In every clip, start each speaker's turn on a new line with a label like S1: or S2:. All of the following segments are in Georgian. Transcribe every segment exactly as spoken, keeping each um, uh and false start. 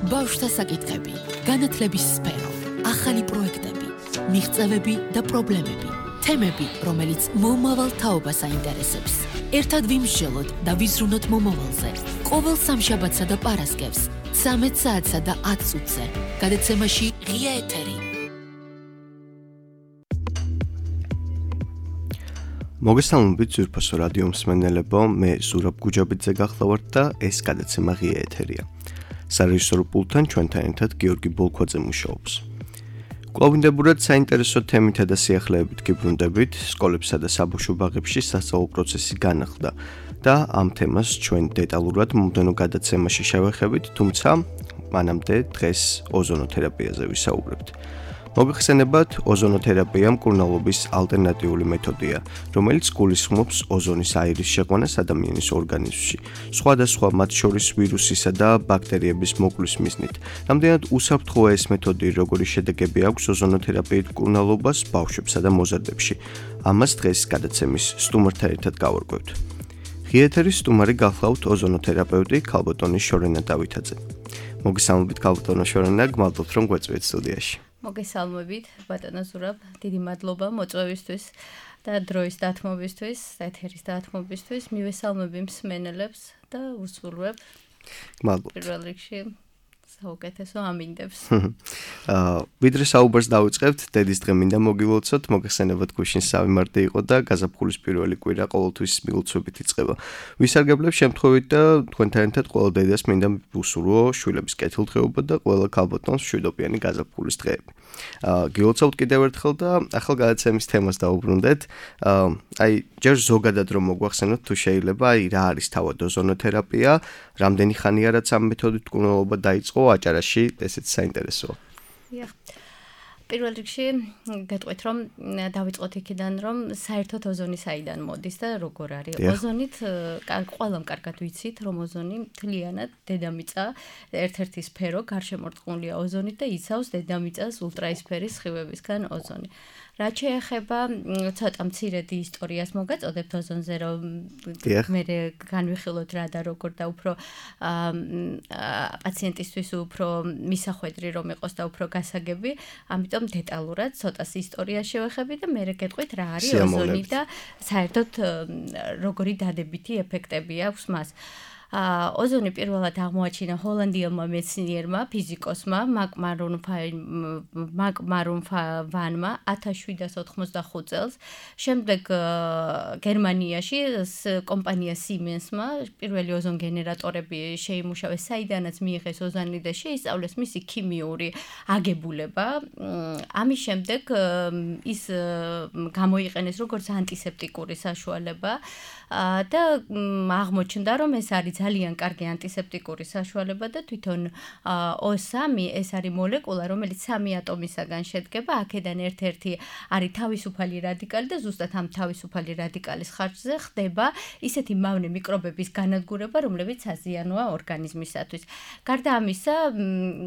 S1: ბავშვთა საკითხები, განათლების სფერო, ახალი პროექტები, მიღწევები და პრობლემები, თემები, რომელიც მომავალ თაობას აინტერესებს. ერთად ვიმსჯელოთ და ვიზრუნოთ მომავალზე. ყოველ სამშაბათსა და პარასკევს, ცამეტ საათსა და ათ წუთზე. გადაცემაში ღია ეთერი.
S2: მოგესალმებით ძვირფასო რადიო მსმენელებო, მე ზურაბ გუჯაბიძე გახლავართ და ეს გადაცემა ღია ეთერია. სარეჟისორო პულტთან ჩვენთან ერთად გიორგი ბოლქვაძე მუშაობს. კვლავინდებურად საინტერესო თემითა და სიახლეებით გიბრუნდებით, სკოლებსა და საბავშვო ბაღებში სასწავლო პროცესი განახლდა და ამ თემას ჩვენ დეტალურად მომდევნო გადაცემაში შევეხებით, თუმცა მანამდე დღეს ოზონოთერაპიაზე ვისაუბრებთ. მოგეხსენებათ, ოზონოთერაპია მკურნალობის ალტერნატიული მეთოდია, რომელიც გულისხმობს ოზონის აირის შეყვანას ადამიანის ორგანიზმში, სხვადასხვა მათ შორის ვირუსისა და ბაქტერიების მოკვლის მიზნით. რამდენად უსაფრთხოა ეს მეთოდი, როგორი შედეგები აქვს ოზონოთერაპიით მკურნალობას ბავშვებსა და მოზარდებში. ამას დღეს გადაცემის სტუმართან ერთად გავარკვევთ. ღია ეთერის სტუმარი გახლავთ ოზონოთერაპევტი ქალბატონი შორენა დავითაძე. მოგესალმებით ქალბატონო შორენა, გმადლობთ რომ გვეწვიეთ სტუდიაში.
S3: მოგესალმებით, ბატონო ზურაბ, დიდი მადლობა მოწვევისთვის და დროის დათმობისთვის, ეთერის დათმობისთვის. მივესალმები მსმენელებს და უსურვებ.
S2: გმადლობთ.
S3: პირველ რიგში საუკეთესო ამინდებს.
S2: აა, ვიდრე საუბარს დავიწყებთ, დედის დღე მინდა მოგილოცოთ, მოგეხსენებათ გუშინ სამი მარტი იყო და გაზაფხულის პირველი კვირა ყოველთვის მილოცვებით იწყება. ვისარგებლებ შემთხვევით და თქვენთან ერთად ყველა დედას მინდა უსურვო შვილების კეთილდღეობა და ყველა ქალბატონს მშვიდობიანი გაზაფხულის დღეები. აა, გილოცავთ კიდევ ერთხელ და ახალ გადაცემის თემას დავუბრუნდეთ. აა, აი, ჯერ ზოგადად რომ მოგვახსენოთ თუ შეიძლება, აი, რა არის თავად ოზონოთერაპია, რამდენი ხანია რაც ამ მეთოდით მკურნალობა დაიწყო აჭარაში, ესეც საინტერესოა.
S3: Yeah. პირველ რიგში გეტყვით რომ დავიწყოთ იქიდან რომ საერთოდ ოზონი საიდან მოდის და როგორ არის. ოზონით ყველამ კარგად ვიცით რომ ოზონი მთლიანად დედამიწა ერთ-ერთი სფერო გარშემორტყმულია ოზონით და იცავს დედამიწას ულტრაისფერის სხივებისგან ოზონი. რაც შეეხება ცოტა მცირედი ისტორიას მოგაწოდებთ ოზონზე რომ მე განვიხილოთ რა და როგორ და უფრო პაციენტისთვის უფრო მისახვედრი რომ იყოს და უფრო გასაგები, ამიტომ დეტალურად ცოტას ისტორია შევეხები და მე გეტყვით რა არის ოზონი და საერთოდ როგორი დადებითი ეფექტები აქვს მას. ოზონი პირველად აღმოაჩინა ჰოლანდიელმა მეცნიერმა, ფიზიკოსმა მაკ მარუნ ვანმა ათას შვიდსათ ოთხმოცდახუთ წელს. შემდეგ გერმანიაში კომპანია Siemens-მა პირველი ოზონ გენერატორები შეიმუშავეს, საიდანაც მიიღეს ოზონი და შეისწავლეს მისი ქიმიური აგებულება. ამის შემდეგ ის გამოიყენეს როგორც ანტისეპტიკური საშუალება და აღმოჩნდა რომ ეს არის ძალიან კარგი ანტისეპტიკური საშუალება და თვითონ O სამი ეს არის მოლეკულა, რომელიც სამი ატომისაგან შედგება. აქედან ერთ-ერთი არის თავისუფალი რადიკალი და ზუსტად ამ თავისუფალი რადიკალის ხარჯზე ხდება ისეთი მავნე მიკრობების განადგურება, რომლებიც საზიანოა ორგანიზმისათვის. გარდა ამისა,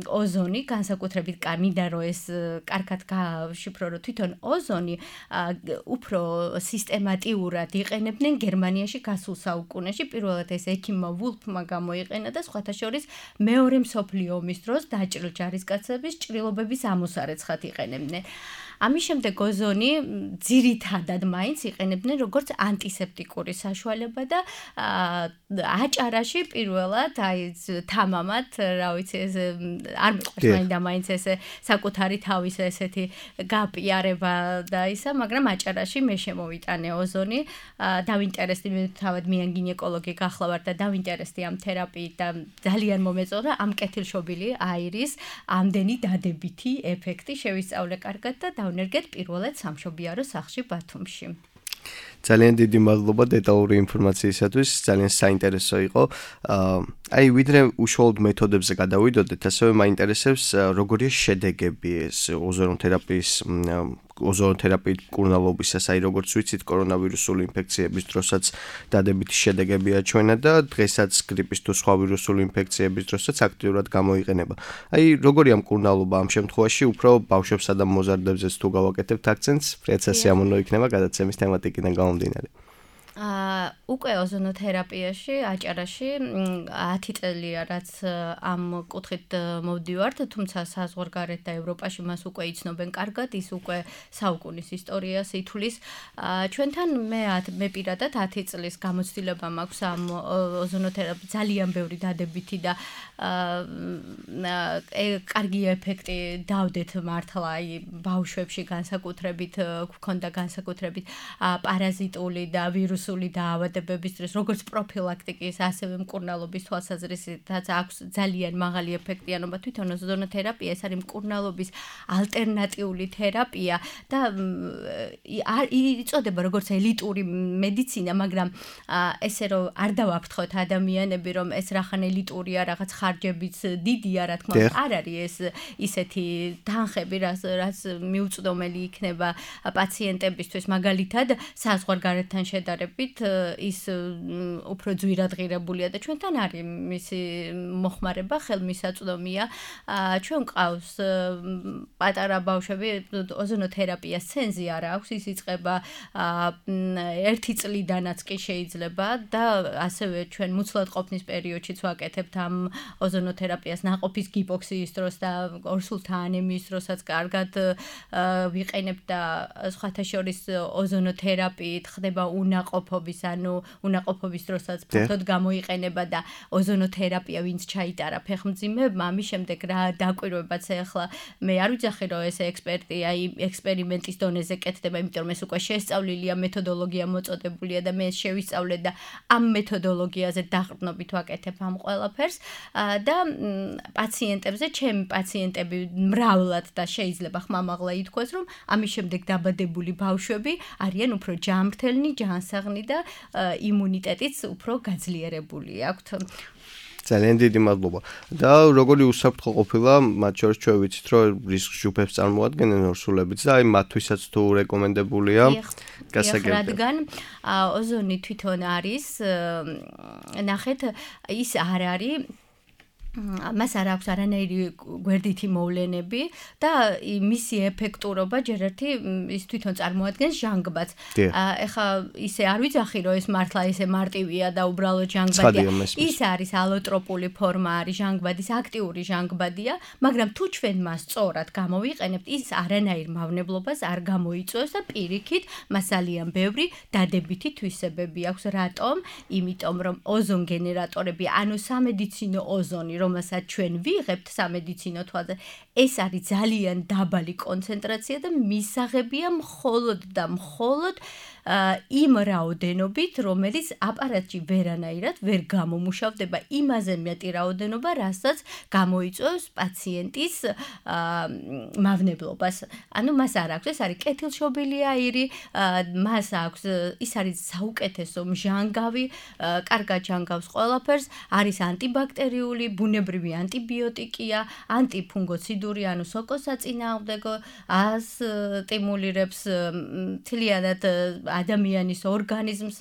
S3: ოზონი განსაკუთრებით მინდა რომ ეს კარგად გავშიფრო, რომ თვითონ ოზონი უფრო სისტემატიურად იყენებდნენ გერმანიაში გასულ საუკუნეში. პირველად ეს ექიმმა ვულფმა გამოიყენა და სხვათა შორის მეორე მსოფლიო ომის დროს დაჭრილ ჯარისკაცების ჭრილობების ამოსარეცხად იყენებდნენ. ამის შემდეგ ოზონი ძირითადად მაინც იყენებდნენ როგორც ანტისეპტიკური საშუალება და აჭარაში პირველად აი თამამად, რა ვიცი, ეს არ მიყვარს მაინდა მაინც ესე საკუთარი თავის ესეთი გაპიარება და ისა, მაგრამ აჭარაში მე შემოვიტანე ოზონი, დავინტერესდი მე თავად მიან გინეკოლოგი გახლავარ და დავინტერესდი ამ თერაპიით და ძალიან მომეწონა ამ კეთილშობილი აირის ამდენი დადებითი ეფექტი შევისწავლე კარგად და ნერგეთ პირველად სამშობიარო სახლში ბათუმში.
S2: ძალიან დიდი მადლობა დეტალური ინფორმაციისათვის, ძალიან საინტერესო იყო. აი, ვიდრე უშუალოდ მეთოდებზე გადავიდოდეთ, ასევე მაინტერესებს როგორია შედეგები ეს ოზონოთერაპიის ოზონოთერაპიით მკურნალობისას, აი როგორც ვიცით, კორონავირუსული ინფექციების დროსაც დადებითი შედეგები აჩვენა და დღესაც გრიპის თუ სხვა ვირუსული ინფექციების დროსაც აქტიურად გამოიყენება. აი, როგორია მკურნალობა ამ შემთხვევაში, უფრო ბავშვებსა და მოზარდებზეც თუ გავაკეთებთ აქცენტს, ფრიაც სასიამოვნო იქნება გადაცემის თემატიკიდან გამომდინარე.
S3: აა უკვე ოზონოთერაპიაში, აჭარაში ათი წელია რაც ამ კუთხით მოვდივართ, თუმცა საზღვარგარეთ და ევროპაში მას უკვე იცნობენ კარგად, ის უკვე საუკუნის ისტორიას ითვლის. ჩვენთან მე მე პირადად ათი წლის გამოცდილება მაქვს ამ ოზონოთერაპიის ძალიან ბევრი დადებითი და კარგი ეფექტი დავდეთ მართლა აი ბავშვებში განსაკუთრებით გვქონდა განსაკუთრებით პარაზიტული და ვირუსული დაავადებების დროს როგორც პროფილაქტიკის, ასევე მკურნალობის თვალსაზრისითაც აქვს ძალიან მაღალი ეფექტიანობა. თვითონ ოზონოთერაპია ეს არის მკურნალობის ალტერნატიული თერაპია და იწოდება როგორც ელიტური მედიცინა, მაგრამ ესე რომ არ დავაფრთხოთ ადამიანები, რომ ეს რახან ელიტურია, რაღაც ხარჯებიც დიდია, რა თქმა უნდა, არ არის ეს ისეთი თანხები, რაც რაც მიუწვდომელი იქნება პაციენტებისთვის, მაგალითად, საზღვარგარეთთან შედარებით ის უფრო ძვირადღირებულია და ჩვენთან არის მისი მოხმარება, ხელმისაწვდომია. ჩვენ ყავს პატარა ბავშვები, ოზონოთერაპიას ცენზი არ აქვს, ის იწყება ერთი წლიდანაც კი შეიძლება და ასევე ჩვენ მუცლად ყოფნის პერიოდშიც ვაკეთებთ ამ ოზონოთერაპიას ნაყოფის გიპოქსიის დროს და ორსულთა ანემიის დროსაც კარგად ვიყენებთ და სხვათა შორის ოზონოთერაპიით ხდება უნაყოფობის, ანუ უნაყოფობის დროსაც ფართოდ გამოიყენება და ოზონოთერაპია ვინც ჩაიტარა ფეხმძიმებმა, ამის შემდეგ რა დაკვირვებაც ახლა მე არ ვიცახი რომ ეს ექსპერტი აი ექსპერიმენტის დონეზე კეთდება, იმიტომ რომ ეს უკვე შესწავლილია, მეთოდოლოგია მოწოდებულია და მე შევისწავლე და ამ მეთოდოლოგიაზე დაყრდნობით ვაკეთებ ამ ყველაფერს და პაციენტებზე, ჩემი პაციენტები მრავლად და შეიძლება ხმამაღლა ითქვას, რომ ამის შემდეგ დაბადებული ბავშვები არიან უფრო ჯანმრთელნი, ჯანსაღნი და იმუნიტეტიც უფრო გაძლიერებული აქვთ.
S2: ძალიან დიდი მადლობა. და როგორი უსაფრთხო ყოფილა, მათ შორის ჩვენ ვიცით, რომ რისკ ჯგუფებს წარმოადგენენ ორსულებიც და აი მათთვისაც თუ რეკომენდებულია გასაგებია.
S3: რადგან ოზონი თვითონ არის, ნახეთ, ის არ არის მას არ აქვს არანაირი გვერდითი მოვლენები და მისი ეფექტურობა ჯერ ერთი ის თვითონ წარმოადგენს ჟანგბადს. ეხლა ისე არ ვიცახი რომ ეს მართლა ესე მარტივია და უბრალოდ ჟანგბადია. ის არის ალოტროპული ფორმა, არის ჟანგბადის აქტიური ჟანგბადია, მაგრამ თუ ჩვენ მას სწორად გამოვიყენებთ, ის არანაირ მავნებლობას არ გამოიწვევს და პირიქით მას ძალიან ბევრი დადებითი თვისებები აქვს. რატომ? იმიტომ რომ ოზონ გენერატორები, ანუ სამედიცინო ოზონი რომელსაც ჩვენ ვიღებთ სამედიცინო თვალზე, ეს არის ძალიან დაბალი კონცენტრაცია და მისაღებია მხოლოდ და მხოლოდ იმ რაოდენობით, რომელიც აპარატში ვერანაირად ვერ გამომუშავდება, იმაზე მეტი რაოდენობა, რასაც გამოიწვევს პაციენტის მავნებლობას. ანუ მას არ აქვს, ეს არის კეთილშობილი აირი, მას აქვს, ის არის საუკეთესო მჟანგავი, კარგად ჟანგავს ყველაფერს, არის ანტიბაქტერიული, ბუნებრივი ანტიბიოტიკია, ანტიფუნგოციდური, ანუ სოკოსაწინააღმდეგო, ასტიმულირებს მთლიანად ადამიანის ორგანიზმს,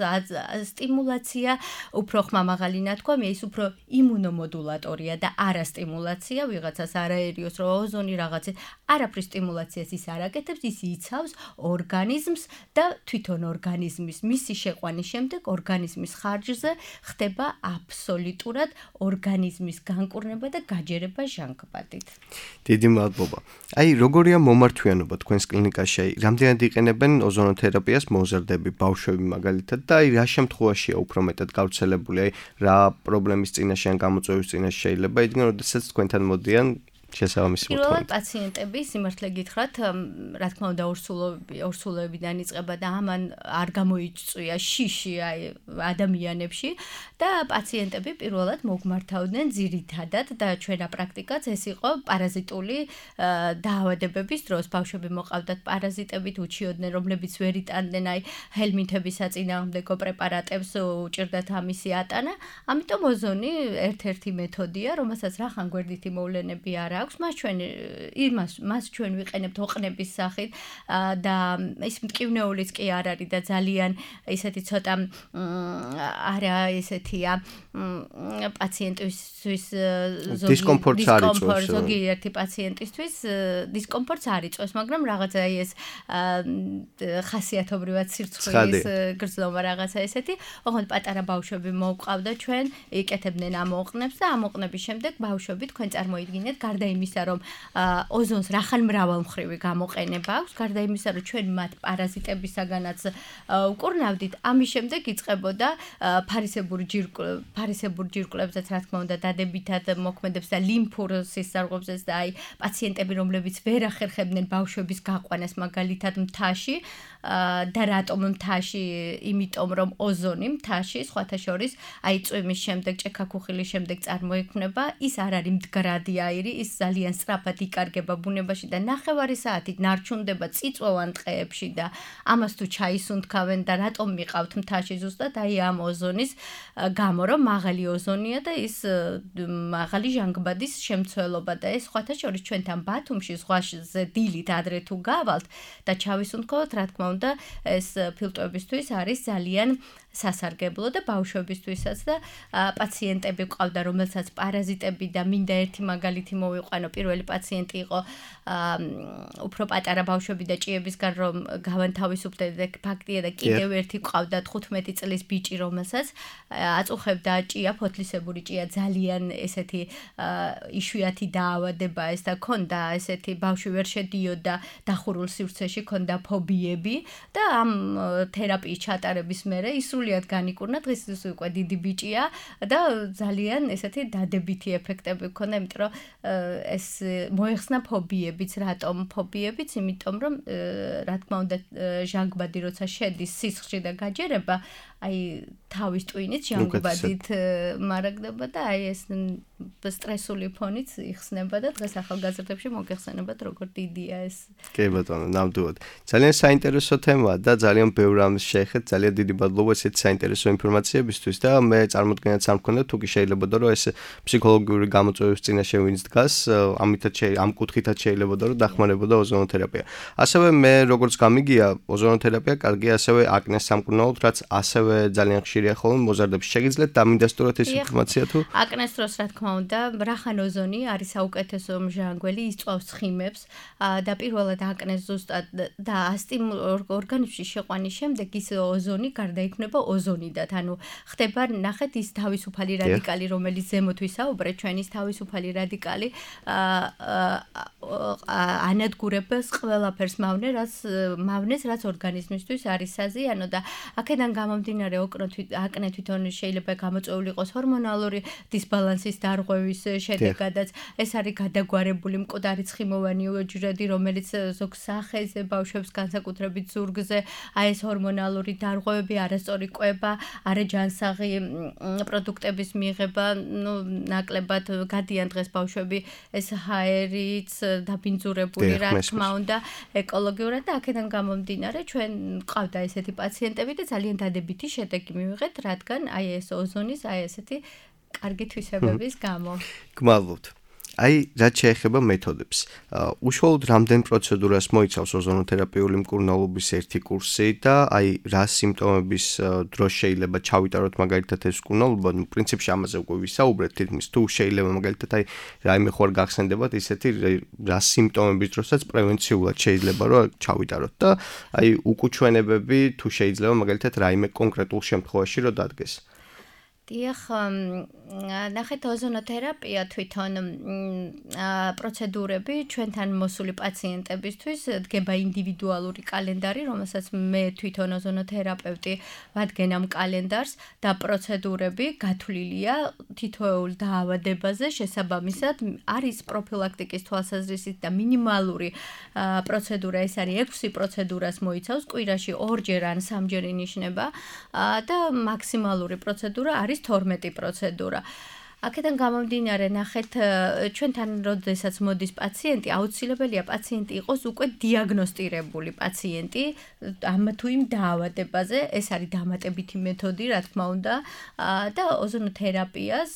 S3: სტიმულაცია, უფრო ხმამაღალი ნათქვამია, ის უფრო იმუნომოდულატორია და არა სტიმულაცია, ვიღაცას არაერიოს რომ ოზონი რაღაცა, არაფრის სტიმულაციას ის არ აკეთებს, ის იცავს ორგანიზმს და თვითონ ორგანიზმის მისი შეყვანის შემდეგ ორგანიზმის ხარჯზე ხდება აბსოლუტურად ორგანიზმის განკურნება და გაჯერება ჟანგბადით.
S2: დიდი მადლობა. აი, როგორია მომართვიანობა თქვენს კლინიკაში? რამდენად იყენებენ ოზონოთერაპიას მოზარდები, ბავშვები მაგალითად და აი რა შემთხვევაშია უფრო მეტად გავრცელებული? აი, რა პრობლემის წინაშე ან გამოწვევის წინაშე შეიძლება იდგნენ, როდესაც თქვენთან მოდიან შესაბამისი მოთხოვნა.
S3: პირველად პაციენტები სიმართლე გითხრათ, რა თქმა უნდა ორსულები, ორსულებიდან იწყება და ამან არ გამოიწვია შიში აი ადამიანებში და პაციენტები პირველად მოგმართავდნენ ძირითადად და ჩვენა პრაქტიკაც ეს იყო პარაზიტული დაავადებების დროს. ბავშვები მოყავდათ პარაზიტებით, უჩიოდნენ, რომლებიც ვერ იტანდნენ აი ჰელმინთების საწინააღმდეგო პრეპარატებს, უჭირდათ ამისი ატანა. ამიტომ ოზონი ერთ-ერთი მეთოდია, რომელსაც რახან გვერდითი მოვლენები არ აქვს, მას ჩვენ იმას მას ჩვენ ვიყენებთ ოყნების სახით და ის მტკივნეულიც კი არ არის და ძალიან ესეთი ცოტა არა ესეთია პაციენტისთვის
S2: დისკომფორტს არ იწვევს.
S3: ზოგიერთი პაციენტისთვის დისკომფორტს არ იწვევს, მაგრამ რაღაცა ეს ხასიათობრივად სირცხვილის გრძნობა რაღაცა ესეთი. ოღონდ პატარა ბავშვები მოვყავდა ჩვენ, იკეთებდნენ ამ ოყნებს და ამ ოყნების შემდეგ ბავშვები თქვენ წარმოიდგინეთ, გარდა იმისა, რომ ოზონს რახან მრავალმხრივი გამოყენება აქვს, გარდა იმისა, რომ ჩვენ მათ პარაზიტებისაგანაც უკურნავდით, ამის შემდეგ იწყებოდა ფარისებური ჯირკვლები, ფარისებურ ჯირკვლებზეც რა თქმა უნდა დადებითად მოქმედებს და ლიმფურ სისხლძარღვებზეც და აი პაციენტები, რომლებიც ვერ ახერხებდნენ ბავშვების გაყვანას მაგალითად მთაში და რატომ მთაში, იმიტომ რომ ოზონი მთაში სხვათა შორის აი წვიმის შემდეგ, ჭექაქუხილის შემდეგ წარმოიქმნება, ის არ არის მდგრადი აირი, ის ძალიან სწრაფად იკარგება ბუნებაში და ნახევარი საათით ნარჩუნდება წიწვოვან ტყეებში და ამას თუ ჩაისუნთქავენ და რატომ მიყავთ მთაში ზუსტად აი ამ ოზონის გამო, რომ მაღალი ოზონია და ის მაღალი ჟანგბადის შემცველობა და ეს სხვათა შორის ჩვენთან ბათუმში ზღვაზე დილით ადრე თუ გავალთ და ჩავისუნთქოთ, რა თქმა უნდა, ეს ფილტვებისთვის არის ძალიან სასარგებლო და ბავშვებისთვისაც და პაციენტები ყავდა, რომელსაც პარაზიტები და მინდა ერთი მაგალითი მოვიყვანო. პირველი პაციენტი იყო უფრო პატარა ბავშვები და ჭიებისგან რომ გავანთავისუფლდე ფაქტია და კიდევ ერთი ყავდა თხუთმეტი წლის ბიჭი, რომელსაც აწუხებდა ჭია, ფოთლისებური ჭია, ძალიან ესეთი იშვიათი დაავადება ეს და ქონდა ესეთი ბავშვი ვერ შედიოდა დახურულ სივრცეში, ქონდა ფობიები და ამ თერაპიის ჩატარების მერე ის სრულიად განიკურნა, დღეს უკვე დიდი ბიჭია და ძალიან ესეთი დადებითი ეფექტები ჰქონდა, იმიტომ რომ ეს მოეხსნა ფობიებიც, რატომ ფობიებიც, იმიტომ რომ რა თქმა უნდა ჟანგბადი როცა შედის სისხლში და გაჯერება, აი თავის ტვინით ჟანგბადით მარაგდება და აი ეს სტრესული ფონიც იხსნება და დღეს ახალგაზრდებში მოგეხსენებათ როგორ დიდია ეს.
S2: კი ბატონო, ნამდვილად. ძალიან საინტერესო თემაა და ძალიან ბევრ რამს შეეხეთ, ძალიან დიდი მადლობა ესეთ საინტერესო ინფორმაციებისთვის და მე წარმოდგენაც არ მქონდა, თუკი შეიძლებოდა რომ ეს ფსიქოლოგიური გამოწვევების წინაშე ვინც დგას, ამითაც ამ კუთხითაც შეიძლებოდა რომ დახმარებოდა ოზონოთერაპია. ასევე მე როგორც გამიგია, ოზონოთერაპია კარგია ასევე აკნეს სამკურნალოდ, რაც ასევე ძალიან ხშირია ხოლმე მოზარდებში. შეგიძლიათ დამინდასტუროთ ეს ინფორმაცია თუ?
S3: აკნეს დროს რა თქმა უნდა, რახან ოზონი არის საუკეთესო მჟანგველი, იწვავს ხიმებს და პირველად აკნეს ზუსტად და ასტიმ ორგანიზმში შეყვანის შემდეგ ის ოზონი გარდაიქმნება ოზონიდად. ანუ ხდება ნახეთ ის თავისუფალი რადიკალი, რომელიც ზემოთ ვისაუბრეთ, ჩვენ ის თავისუფალი რადიკალი ანადგურებს ყველაფერს მავნე, რაც მავნეს, რაც ორგანიზმისთვის არის საზიანო და აქედან გამომდინარე აკნე თვითონ შეიძლება გამოწვეული იყოს ჰორმონალური დისბალანსის დარღვევის შედეგადაც. ეს არის გადაგვარებული მკვდარი ცხიმოვანი უჯრედი, რომელიც ზოგ სახეზე ბავშვებს განსაკუთრებით ზურგზე აი ეს ჰორმონალური დარღვევები, არასწორი კვება, არაჯანსაღი პროდუქტების მიღება, ну, ნაკლებად გადიან დღეს ბავშვები ეს ჰაერიც დაბინძურებული რა თქმა უნდა ეკოლოგიურად და აქედან გამომდინარე ჩვენ ყავდა ესეთი პაციენტები და ძალიან დადებითი შედეგი მივიღეთ, რადგან აი ეს ოზონის აი ესეთი კარგი თვისებების გამო.
S2: გმადლობთ. აი, რაც შეეხება მეთოდებს. უშუალოდ რამდენ პროცედურას მოიცავს ოზონოთერაპიული მკურნალობის ერთი კურსი და აი რა სიმპტომების დროს შეიძლება ჩავიტაროთ მაგალითად ეს მკურნალობა, ну, პრინციპში ამაზე უკვე ვისაუბრეთ, თითქმის თუ შეიძლება მაგალითად აი რაიმე ხوار გახსენდებათ ისეთი რა სიმპტომების დროსაც პრევენციულად შეიძლება რომ ჩავიტაროთ და აი უკუჩვენებები თუ შეიძლება მაგალითად რაიმე კონკრეტულ შემთხვევაში რომ დადგეს.
S3: დიახ, ნახეთ ოზონოთერაპია თვითონ პროცედურები ჩვენთან მოსული პაციენტებისთვის დგება ინდივიდუალური კალენდარი, რომელსაც მე თვითონ ოზონოთერაპევტი ვადგენ ამ კალენდარს და პროცედურები გათვლილია თითოეულ დაავადებაზე შესაბამისად არის პროფილაქტიკის თვალსაზრისით და მინიმალური პროცედურა ეს არის ექვსი პროცედურას მოიცავს, კვირაში ორჯერ ან სამჯერ ინიშნება და მაქსიმალური პროცედურა არის თორმეტი პროცედურა. აქედან გამომდინარე, ნახეთ, ჩვენთან როდესაც მოდის პაციენტი, აუცილებელია პაციენტი იყოს უკვე დიაგნოსტირებული პაციენტი ამ თუ იმ დაავადებაზე, ეს არის დამატებითი მეთოდი, რა თქმა უნდა, და ოზონოთერაპიას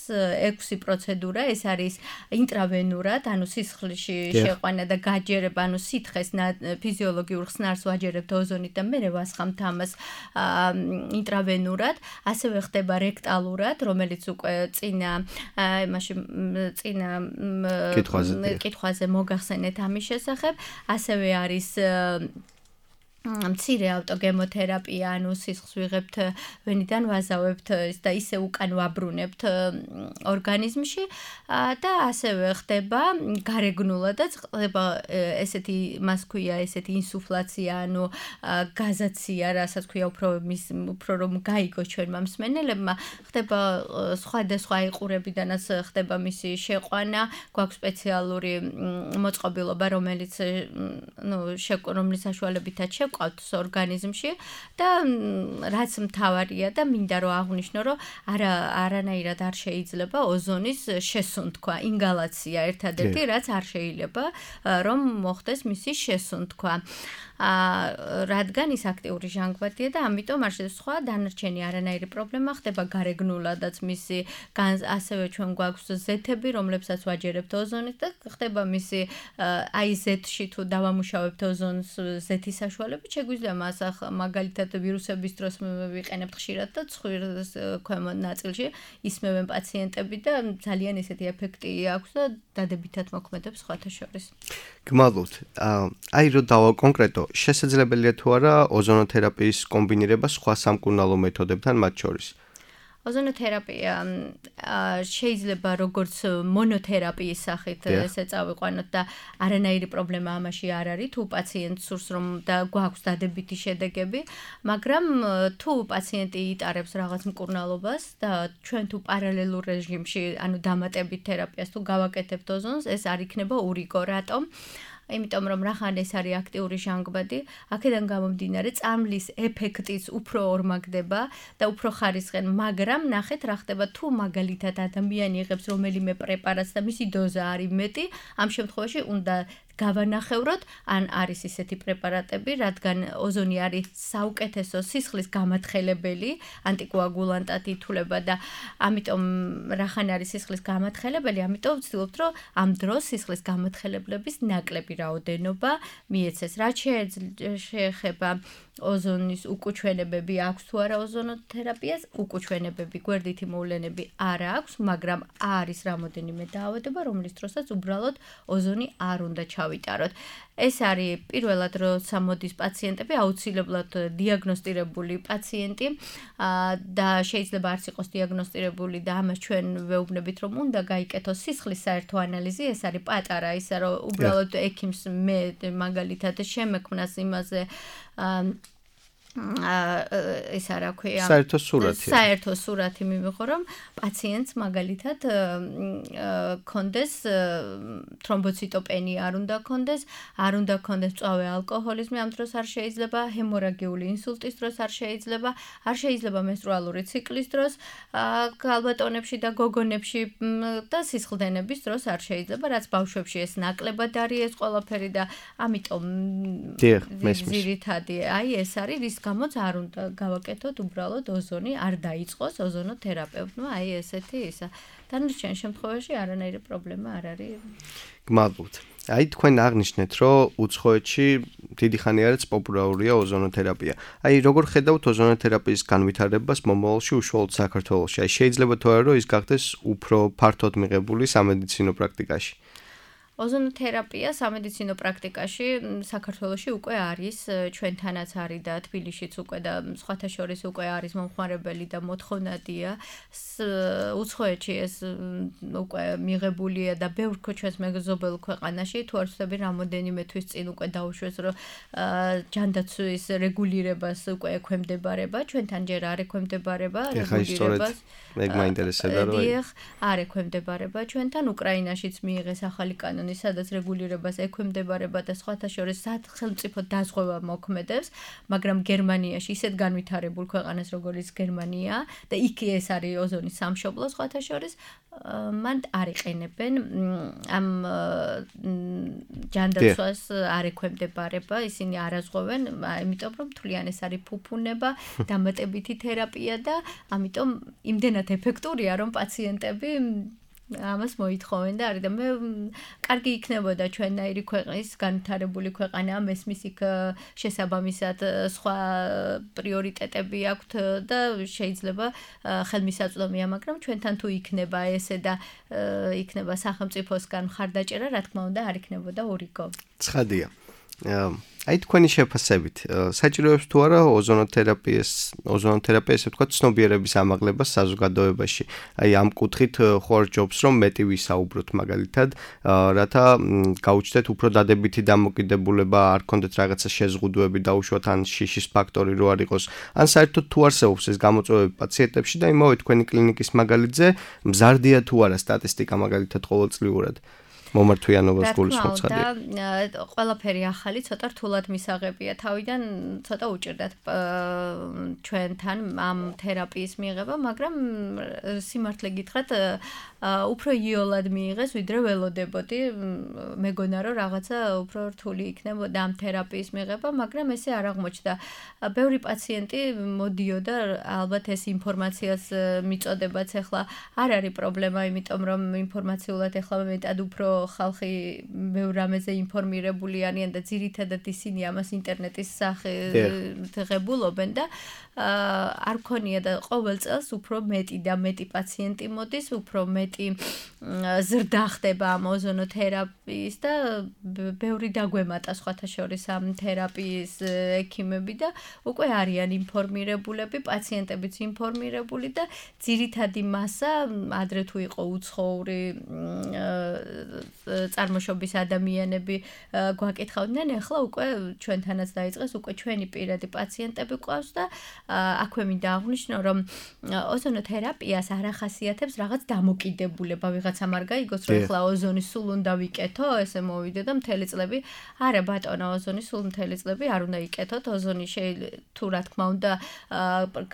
S3: ექვსი პროცედურა, ეს არის ინტრავენურად, ანუ სისხლში შეყვანა და გაჯერება, ანუ სითხეს ფიზიოლოგიურ ხსნარს ვაჯერებთ ოზონით და მერე ვასხამთ ამას ინტრავენურად, ასევე ხდება რექტალურად, რომელიც უკვე წინა იმაში წინა კითხვაზე მოგახსენეთ ამის შესახებ, ასევე არის მცირე ავტოგემოთერაპია, ანუ სისხლს ვიღებთ ვენიდან ვაზავებთ და ისე უკან ვაბრუნებთ ორგანიზმში და ასევე ხდება გარეგნულადაც ხდება ესეთი მას ქვია ესეთი ინსუფლაცია, ანუ გაზაცია, რასაც ქვია უფრო მის უფრო რომ გაიგოს ჩვენმა მსმენელებმა, ხდება სხვადასხვა იყურებიდანაც ხდება მისი შეყვანა, გვაქვს სპეციალური მოწყობილობა, რომელიც ნუ რომლის საშუალებითაც შევ ყავთ ორგანიზმში და რაც მთავარია და მინდა რომ აღვნიშნო რომ არა არანაირად არ შეიძლება ოზონის შესუნთქვა, ინგალაცია ერთადერთი რაც არ შეიძლება რომ მოხდეს მისი შესუნთქვა. რადგან ის აქტიური ჟანგბადია და ამიტომ არ შეიძლება სხვა დანარჩენი არანაირი პრობლემა ხდება გარეგნულადაც მისი ასევე ჩვენ გვაქვს ზეთები, რომლებსაც ვაჯერებთ ოზონით და ხდება მისი აი ზეთში თუ დავამუშავებთ ოზონს ზეთის საშუალებით შეგვიძლია მას მაგალითად ვირუსების დროს ვიყენებთ ხშირად და ცხვირის ქვემოთ ნაწილში ისმევენ პაციენტები და ძალიან ესეთი ეფექტი აქვს და დადებითად მოქმედებს სხვათა შორის.
S2: გმადლობთ. აი რო დავაკონკრეტო, შესაძლებელია თუ არა ოზონოთერაპიის კომბინირება სხვა სამკურნალო მეთოდებთან მათ შორის?
S3: ოზონოთერაპია შეიძლება როგორც მონოთერაპიის სახით ესე წავიყვანოთ და არანაირი პრობლემა ამაში არ არის, თუ პაციენტს სურს რომ და გვაქვს დადებითი შედეგები, მაგრამ თუ პაციენტი იტარებს რაღაც მკურნალობას და ჩვენ თუ პარალელურ რეჟიმში, ანუ დამატებით თერაპიას თუ გავაკეთებთ ოზონს, ეს არ იქნება ურიგო, რატომ? იმიტომ რომ რახან ეს არის აქტიური ჟანგბადი, აქედან გამომდინარე წამლის ეფექტიც უფრო ორმაგდება და უფრო ხარისხენ, მაგრამ ნახეთ რა ხდება თუ მაგალითად ადამიანი იღებს რომელიმე პრეპარატს და მისი დოზა არის მეტი, ამ შემთხვევაში უნდა გავანახევროთ, ან არის ისეთი პრეპარატები, რადგან ოზონი არის საუკეთესო სისხლის გამათხელებელი, ანტიკოაგულანტად ითვლება და ამიტომ რახან არის სისხლის გამათხელებელი, ამიტომ ვცდილობთ, რომ ამ დროს სისხლის გამათხელებლების ნაკლები რაოდენობა მიეცეს. რაც შეეხება ოზონის უკუჩვენებები აქვს თუ არა ოზონოთერაპიას, უკუჩვენებები, გვერდითი მოვლენები არ აქვს, მაგრამ არის რამოდენიმე დაავადება, რომლის დროსაც უბრალოდ ოზონი არ უნდა ჩავიტაროთ. ეს არის პირველად როცა მოდის პაციენტები, აუცილებლად დიაგნოსტირებული პაციენტი და შეიძლება არც იყოს დიაგნოსტირებული და ამას ჩვენ ვეუბნებით, რომ უნდა გაიკეთოს სისხლის საერთო ანალიზი, ეს არის პატარა, ისა რომ უბრალოდ ექიმს მე მაგალითად შემექმნას იმაზე ეს არა ქვია
S2: საერთო სურათი
S3: საერთო სურათი მივიღო რომ პაციენტს მაგალითად კონდეს თრომბოციტოპენია არ უნდა კონდეს არ უნდა კონდეს წვავე ალკოჰოლიზმი ამ დროს არ შეიძლება ჰემორაგიული ინსულტის დროს არ შეიძლება არ შეიძლება მენსტრუალური ციკლის დროს გალბატონებში და გოგონებში და სისხლდენების დროს არ შეიძლება რაც ბავშვებში ეს ნაკლებად არის ეს ყველაფერი და ამიტომ ძირითადი აი ეს არის რის გამოც არ უნდა გავაკეთოთ უბრალოდ ოზონი არ დაიწყოს ოზონოთერაპევტმა აი ესეთი ისა დანარჩენ შემთხვევაში არანაირი პრობლემა არ არის
S2: გმადლობთ აი თქვენ აღნიშნეთ რომ უცხოეთში დიდი ხანი არის პოპულარულია ოზონოთერაპია აი როგორ ხედავთ ოზონოთერაპიის განვითარებას მომავალში უშუალოდ საქართველოში აი შეიძლება თუ არა რომ ის გახდეს უფრო ფართოდ მიღებული სამედიცინო პრაქტიკაში
S3: ოზონოთერაპია სამედიცინო პრაქტიკაში საქართველოში უკვე არის ჩვენთანაც არის და თბილისშიც უკვე და სხვათა შორის უკვე არის მომხმარებელი და მოთხოვნადია უცხოეთში ეს უკვე მიღებულია და ბევრ ჩვენს მეზობელ ქვეყანაში თუ არ ვცდები რამოდენიმე თვის წინ უკვე დაუშვეს რომ ჯანდაცვის რეგულირებას უკვე ექვემდებარება ჩვენთან ჯერ არ ექვემდებარება
S2: რეგულირებას მე მაინტერესებდა რომ
S3: დიახ არ ექვემდებარება ჩვენთან უკრაინაშიც მიიღეს ახალი კანონი რეგიონი, სადაც რეგულირებას ექვემდებარება და სხვათა შორის სახელმწიფო დაზღვევა მოქმედებს, მაგრამ გერმანიაში ისეთ განვითარებულ ქვეყანას, როგორც გერმანია და იქ ეს არის ოზონის სამშობლო სხვათა შორის, მან არ იყენებენ ამ ჯანდაცვას არ ექვემდებარება, ისინი არ აზღვევენ, იმიტომ რომ თვლიან ეს არის ფუფუნება, დამატებითი თერაპია და ამიტომ იმდენად ეფექტურია, რომ პაციენტები ამას მოითხოვენ და არის და მე კარგი იქნებოდა ჩვენნაირი ქვეყნის განვითარებული ქვეყანა მესმის იქ შესაბამისად სხვა პრიორიტეტები აქვთ და შეიძლება ხელმისაწვდომია, მაგრამ ჩვენთან თუ იქნება ესე და იქნება სახელმწიფოსგან მხარდაჭერა, რა თქმა უნდა, არ იქნებოდა ორიგო.
S2: ცხადია. აი თქვენი შეფასებით, საჭიროებს თუ არა ოზონოთერაპიას, ოზონოთერაპია ესე ვთქვათ, ცნობიერების ამაღლებას საზოგადოებაში. აი ამ კუთხით ხوار ჯობს რომ მეტი ვისაუბროთ მაგალითად, რათა გაუჩნდეთ უფრო დადებითი დამოკიდებულება, არ ქონდეთ რაღაცა შეზღუდვები დაუშვათ ან შიშის ფაქტორი რო არ იყოს. ან საერთოდ თუ არსებობს ეს გამოწვევები პაციენტებში და იმავე თქვენი კლინიკის მაგალითზე, მზარდია თუ არა სტატისტიკა მაგალითად ყოველწლიურად. მომართვიანობას გულისხმობს ხადია.
S3: ყველაფერი ახალი, ცოტა რთულად მისაღებია. თავიდან ცოტა უჭირდათ ჩვენთან ამ თერაპიის მიღება, მაგრამ სიმართლე გითხრათ, უფრო იოლად მიიღეს, ვიდრე ველოდებოდი. მეგონა რომ რაღაცა უფრო რთული იქნებოდა ამ თერაპიის მიღება, მაგრამ ესე არ აღმოჩნდა. ბევრი პაციენტი მოდიოდა, ალბათ ეს ინფორმაციას მიწოდებაც ახლა არ არის პრობლემა, იმიტომ რომ ინფორმაციულად ახლა მეტად უფრო ხალხი ბევრ რამეზე ინფორმირებული არიან და ძირითადად ისინი ამას ინტერნეტის სახით ღებულობენ და არ ქონია და ყოველ წელს უფრო მეტი და მეტი პაციენტი მოდის, უფრო მეტი ზრდა ხდება ამ ოზონოთერაპიის და ბევრი დაგვემატა სხვათა შორის ამ თერაპიის ექიმები და უკვე არიან ინფორმირებულები, პაციენტებიც ინფორმირებული და ძირითადი მასა ადრე თუ იყო უცხოური წარმოშობის ადამიანები გვაკითხავდნენ, ახლა უკვე ჩვენთანაც დაიწყეს, უკვე ჩვენი პირადი პაციენტები ყავს და აქვე მინდა აღვნიშნო, რომ ოზონოთერაპიას არ ახასიათებს რაღაც დამოკიდებულება, ვიღაცამ არ გაიგოს, რომ ახლა ოზონი სულ უნდა ვიკეთო, ესე მოვიდე და მთელი წლები, არა ბატონო, ოზონი სულ მთელი წლები არ უნდა იკეთოთ, ოზონი შეიძლება თუ რა თქმა უნდა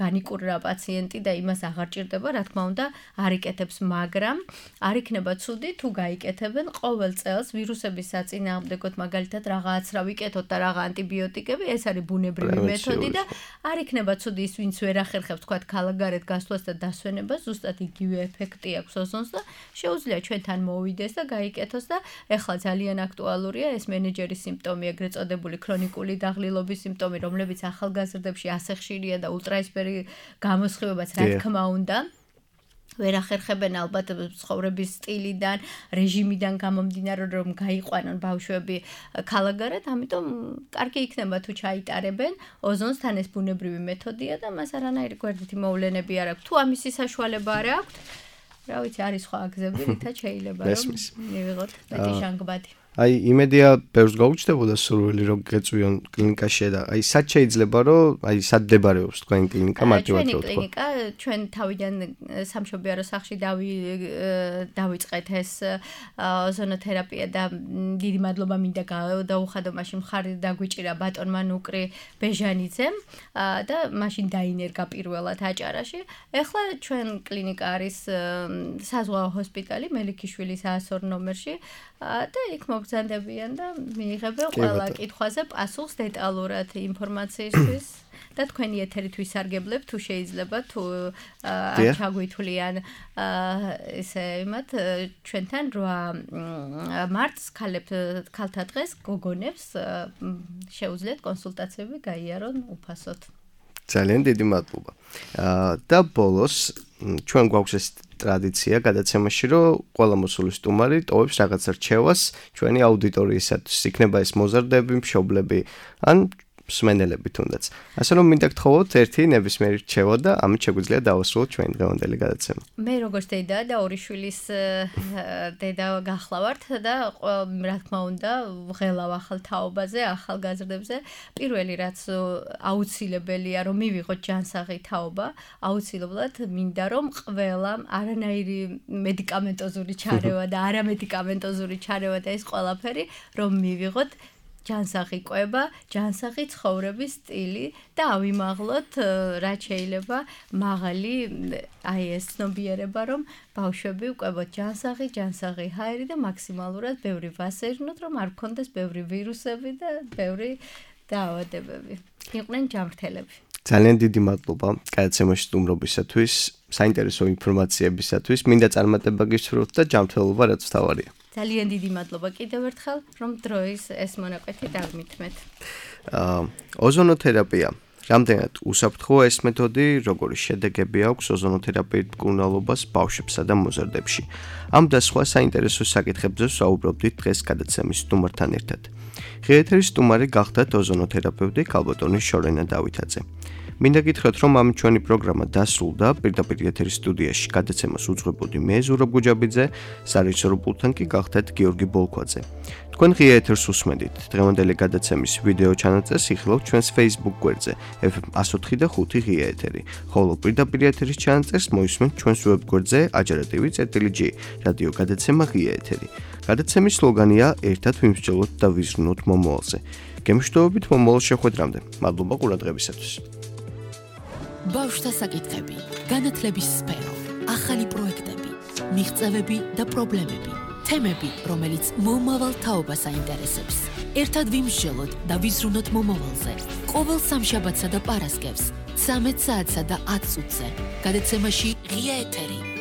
S3: განიკურნა პაციენტი და იმას აღარ ჭირდება, რა თქმა უნდა არ იკეთებს, მაგრამ არ იქნება ცუდი თუ გაიკეთებენ ყოველ წელს ვირუსების საწინააღმდეგოდ მაგალითად რაღაც რა ვიკეთოთ და რაღაც ანტიბიოტიკები, ეს არის ბუნებრივი მეთოდი და არ იქნება ცუდი ის, ვინც ვერ ახერხებს თქვათ ქალაქგარეთ გასვლას და დასვენებას, ზუსტად იგივე ეფექტი აქვს ოზონს და შეუძლია ჩვენთან მოვიდეს და გაიკეთოს და ეხლა ძალიან აქტუალურია ეს მენეჯერის სიმპტომი, ეგრეთ წოდებული ქრონიკული დაღლილობის სიმპტომი, რომლებიც ახალგაზრდებში ასე ხშირია და ულტრაისფერი გამოსხივებაც რა თქმა უნდა ვერ ახერხებენ ალბათ ცხოვრების სტილიდან, რეჟიმიდან გამომდინარე, რომ გაიყვანონ ბავშვები ქალაქგარეთ, ამიტომ კარგი იქნება თუ ჩაიტარებენ ოზონს, თან ეს ბუნებრივი მეთოდია და მას არანაირი გვერდითი მოვლენები არ აქვს. თუ ამისი საშუალება არ აქვს, რა ვიცი, არის სხვა გზები, რითაც შეიძლება რომ მივიღოთ მეტი ჟანგბადი.
S2: აი იმედია ბევრს გაუჩნდებოდა სურვილი რომ გეწვიონ კლინიკაში და აი სად შეიძლება რომ აი სად დებარებს თქვენი კლინიკა მარტივად
S3: რო თქვა. ჩვენი კლინიკა ჩვენ თავიდან სამშობიარო სახლში დავიწყეთ ეს ოზონოთერაპია და დიდი მადლობა მინდა დაუხადო მაშინ მხარი დაგვიჭირა ბატონმა ნუკრი ბეჟანიძემ და მაშინ დაინერგა პირველად აჭარაში. ეხლა ჩვენ კლინიკა არის საზღვაო ჰოსპიტალი მელიქიშვილის საასორ ნომერში და იქ მოგზანდებიან და მიიღებენ ყველა კითხვაზე პასუხს დეტალურად ინფორმაციისთვის და თქვენი ეთერით ვისარგებლებ თუ შეიძლება თუ არ ჩაგვითვლიან ესე იმათ ჩვენთან რვა მარტს ქალთა დღეს გოგონებს შეუძლიათ კონსულტაციები გაიარონ უფასოდ.
S2: ძალიან დიდი მადლობა. და ბოლოს ჩვენ გვაქვს ეს ტრადიცია გადაცემაში, რომ ყველა მოსული სტუმარი ტოვებს რაღაც რჩევას ჩვენი აუდიტორიისათვის. იქნება ეს მოზარდები, მშობლები, ან მსმენელები თუნდაც. ასე რომ მინდა გთხოვოთ ერთი ნებისმიერი რჩევა და ამით შეგვიძლია დავასრულოთ ჩვენი დღევანდელი გადაცემა.
S3: მე როგორც დედა და ორი შვილის დედა გახლავართ და რა თქმა უნდა ვღელავ ახალ თაობაზე, ახალ გაზრდებზე. პირველი რაც აუცილებელია რომ მივიღოთ ჯანსაღი თაობა, აუცილებლად მინდა რომ ყველამ არანაირი მედიკამენტოზური ჩარევა და არამედიკამენტოზური ჩარევა და ეს ყველაფერი რომ მივიღოთ ჯანსაღი კვება, ჯანსაღი ცხოვრების სტილი და ავიმაღლოთ რაც შეიძლება მაღალი აი ეს ცნობიერება რომ ბავშვები უყვებოთ ჯანსაღი, ჯანსაღი ჰაერი და მაქსიმალურად ბევრი ვასერნოთ რომ არ გქონდეს ბევრი ვირუსები და ბევრი დაავადებები. იყვნენ ჯანმრთელები.
S2: ძალიან დიდი მადლობა გადაცემაში სტუმრობისათვის, საინტერესო ინფორმაციებისათვის. მინდა წარმატება გისურვოთ და ჯანმრთელობა რაც თავარია.
S3: ძალიან დიდი მადლობა კიდევ ერთხელ, რომ დროის ეს მონაკვეთი დაგმითმეთ.
S2: აა ოზონოთერაპია. რამდენად უსაფრთხოა ეს მეთოდი, როგორი შედეგები აქვს ოზონოთერაპიით მკურნალობას ბავშვებსა და მოზარდებში. ამ და სხვა საინტერესო საკითხებზე ვსაუბრობდით დღეს გადაცემის სტუმართან ერთად. ღიეთერის სტუმარი გახდათ ოზონოთერაპევტი ქალბატონი შორენა დავითაძე. მინდა გითხრათ, რომ ამ ჩვენი პროგრამა დასრულდა, პირდაპირ ეთერის სტუდიაში გადაცემას უძღვებოდი მე ზურაბ გუჯაბიძე, სარეჟისორო პულტთან კი გახდათ გიორგი ბოლქვაძე. თქვენ ღია ეთერს უსმენთ. დღევანდელი გადაცემის ვიდეო ჩანაწერს იხილავთ ჩვენს Facebook გვერდზე ეფ ემ one oh five და ხუთი ღია ეთერი, ხოლო პირდაპირ ეთერის ჩანაწერს მოისმენთ ჩვენს ვებ გვერდზე ajarativi.gr რადიო გადაცემა ღია ეთერი. გადაცემის სლოგანია ერთად ვიმსჯელოთ და ვიზრუნოთ მომავალზე. გემშვიდობებით მომავალ შეხვედრამდე. მადლობა ყურადღებისათვის.
S1: ბავშვთა საკითხები, განათლების სფერო, ახალი პროექტები, მიღწევები და პრობლემები, თემები, რომელიც მომავალ თაობას აინტერესებს. ერთად ვიმსჯელოთ და ვიზრუნოთ მომავალზე. ყოველ სამშაბათსა და პარასკევს, ცამეტ საათსა და ათ წუთზე. გადაცემაში ღია ეთერი.